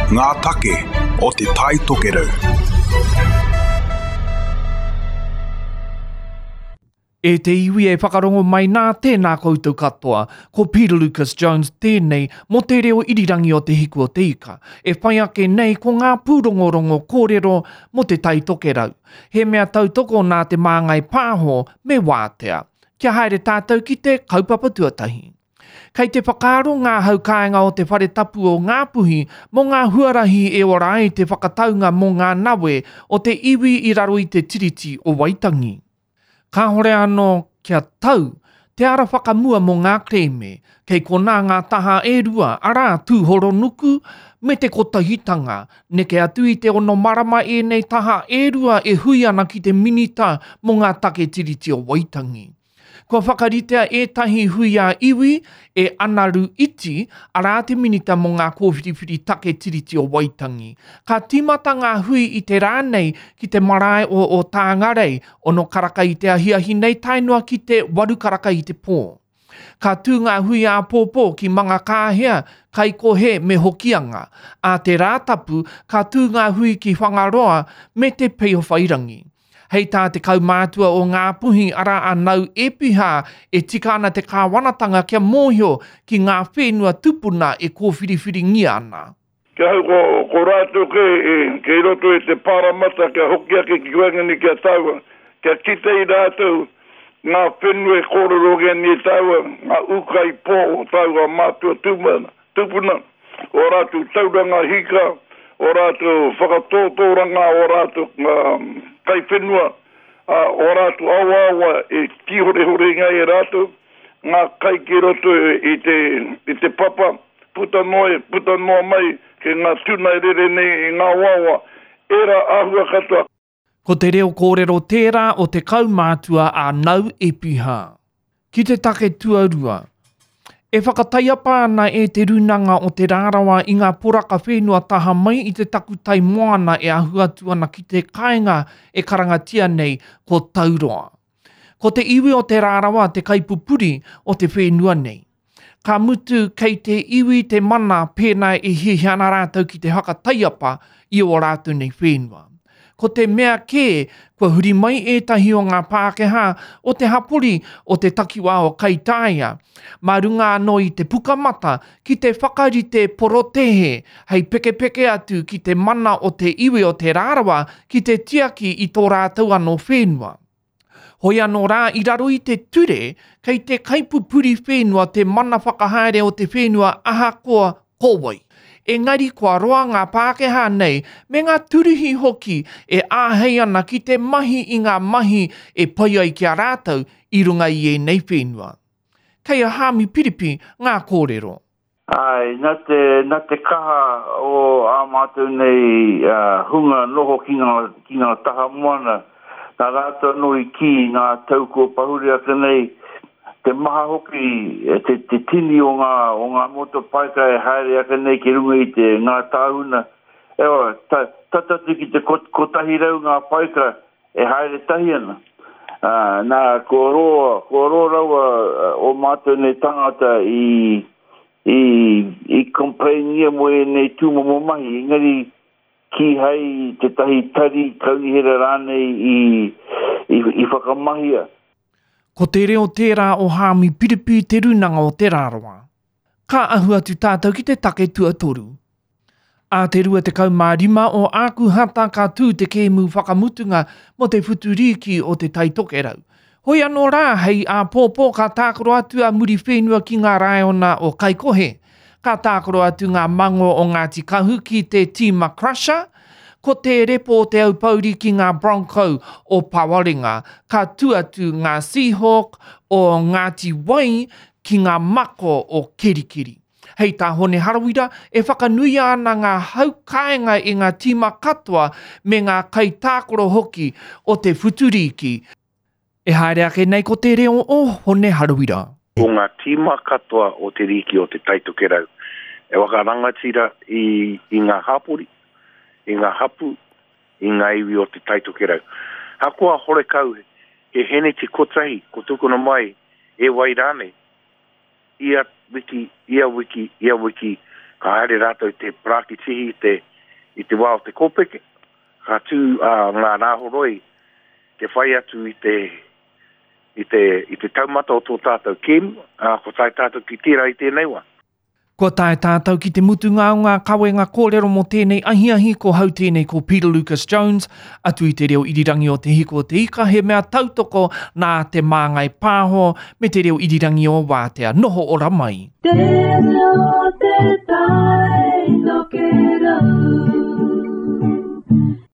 Ngā take o Te Tai Tokerau. E te iwi e whakarongo mai nā, tēnā koutou katoa. Ko Peter Lucas Jones tēnei mō te reo irirangi o Te Hiku o Te Ika. E whai ake nei ko ngā pūrongorongo kōrero mō Te Tai Tokerau. He mea tautoko nā Te Māngai Pāho me Wātea. Kia haere tātou ki te kaupapa tuatahi. Kei te whakaaro ngā hau kāinga o te whare tapu o Ngāpuhi mō ngā huarahi e ora ai te whakataunga mō ngā nawe o te iwi i raro i te Tiriti o Waitangi. Kāhore anō kia tau te ara whakamua mō ngā kerēme, kei konā ngā taha e rua, arā, Tūhoronuku me te Kotahitanga. Neke atu i te ono marama ēnei taha e rua e hui ana ki te Minita mō ngā take Tiriti o Waitangi. Kua whakaritea ētahi hui ā-iwi e Anaru Iti, arā te Minita mō ngā Kōwhiriwhiri Take Tiriti o Waitangi. Ka tīmata ngā hui i te rā nei ki te marae o Ōtāngarei, ono karaka i te ahiahi nei tae noa ki te waru karaka i te pō. Ka tū ngā hui āpōpō ki Mangakāhea, Kaikohe me Hokianga. Ā te Rātapu, ka tū ngā hui ki Whangaroa me Te Peowhairangi. Hei tā te kaumātua o Ngāpuhi arā a Nau Epiha e tika ana te kāwanatanga kia mōhio ki ngā whenua tupuna e kōwhiriwhiringia ana. Ki ahau ko, ko rātou kē e, kei roto i te pāramata kia hoki ake ki waenganui ki a tāua, kia kite i rātou ngā whenua e kōrerongia nei e tāua, ngā ūkaipō o tāua mātua tūmana, tupuna, ō rātou tauranga hika, ō rātou whakatōtōranga, ō rātou kaiwhenua, ā, ō rātou awaawa e tīhorehorengia ai e rātou, ngā kai ki roto i te, i te papa, puta noa, puta noa mai ki ngā tuna e rere nei i ngā awaawa, ērā āhua katoa. Ko te reo kōrero tērā o te kaumātua a Nau Epiha. Ki te take tuarua, e whakataiapa ana e Te Rūnanga o Te Rarawa i ngā poraka whenua taha mai i te takutai moana e ahu atu ana ki te kāinga e karangatia nei ko Tauroa. Ko te iwi o Te Rarawa te kaipupuri o te whenua nei. Ka mutu kei te iwi te mana pēnā e hiahia ana rātou ki te whakataiapa i ō rātou nei whenua. Ko te mea kē, kua huri mai ētahi o ngā Pākehā o te hapori o te takiwā o Kaitāia, mā runga anō i te pukamata ki te whakarite porotēhe hei pekepeke atu ki te mana o te iwi o Te Rarawa ki te tiaki i tō rātou anō whenua. Hoi anō rā, i raro i te ture, kei te kaipupuri whenua te mana whakahaere o te whenua ahakoa ko wai. Engari kua roa ngā Pākehā nei me ngā turihi hoki e āhei ana ki te mahi i ngā mahi e pai ai ki a rātou i runga i ēnei whenua. Kei a Haami Piripi ngā kōrero. Āe, nā te, nā te kaha o ā mātou nei hunga noho ki ngā, ki ngā taha moana, nā rātou anō i kī i ngā tau kua pahure ake nei, te maha hoki, te, te tini o ngā, o ngā motopaika e haere ake nei ki runga i te, ngā tāhuna, ewa, ta, tata atu ki te 100 ngā paika E haere tahi ana. Ā, nā, kua roa, kua roa rawa ō mātou nei tāngata i, i, i complain-ngia mō ēnei tūmomo mahi, engari kīhai tētahi tari, kaunihera rānei i, i, i whakamahia. Ko te reo tērā o Haami Piripi Te Rūnanga o Te Rarawa. Ka ahu atu tātou ki te take tuatoru. Ā te 25 o Ākuhata ka tū te kēmu whakamutunga mō te whutu rīki o Te Tai Tokerau. Hoi anō rā, hei āpōpō ka tākaro atu a Muriwhenua ki ngā Raiona o Kaikohe. Ka tākaro atu ngā mango o Ngāti Kahu ki te tīma Crusher, ko te repo o Te Aupōuri ki ngā Bronco o Pawarenga. Ka tū atu ngā Seahawk o Ngāti Wai ki ngā mako o Kerikeri. Hei tā Hone Harawira, e whakanuia ana ngā hau kāinga i ngā tīma katoa me ngā kaitākaro hoki o te whuturīki. E haere ake nei ko te reo o Hone Harawira. Ko ngā tīma katoa o te rīki o Te Taitokerau e whakarangatira i ngā hapori, i ngā hapū, i ngā iwi o Te Taitokerau. Hakoa horekau he heneti kotahi ko tukuna mai e wai rānei, ia wiki, ia wiki, ia wiki, Ka haere rātou te parākitihi i te, i te wā o te kōpeke, ka tū ā, ngā rāhoroi te whai atu i te, i te, i te taumata o tō tātou kēmu, ā, kua tae tātou ki tērā i tēnei wā. Kua tae tātou ki te mutunga o ngā kawenga kōrero mō tēnei ahiahi, ko hau tēnei ko Peter Lucas Jones, atu i te reo irirangi o Te Hiko o Te Ika, he mea tautoko nā Te Māngai Pāho me te reo irirangi o Wātea. Noho ora mai. Te reo o te tai tokerau.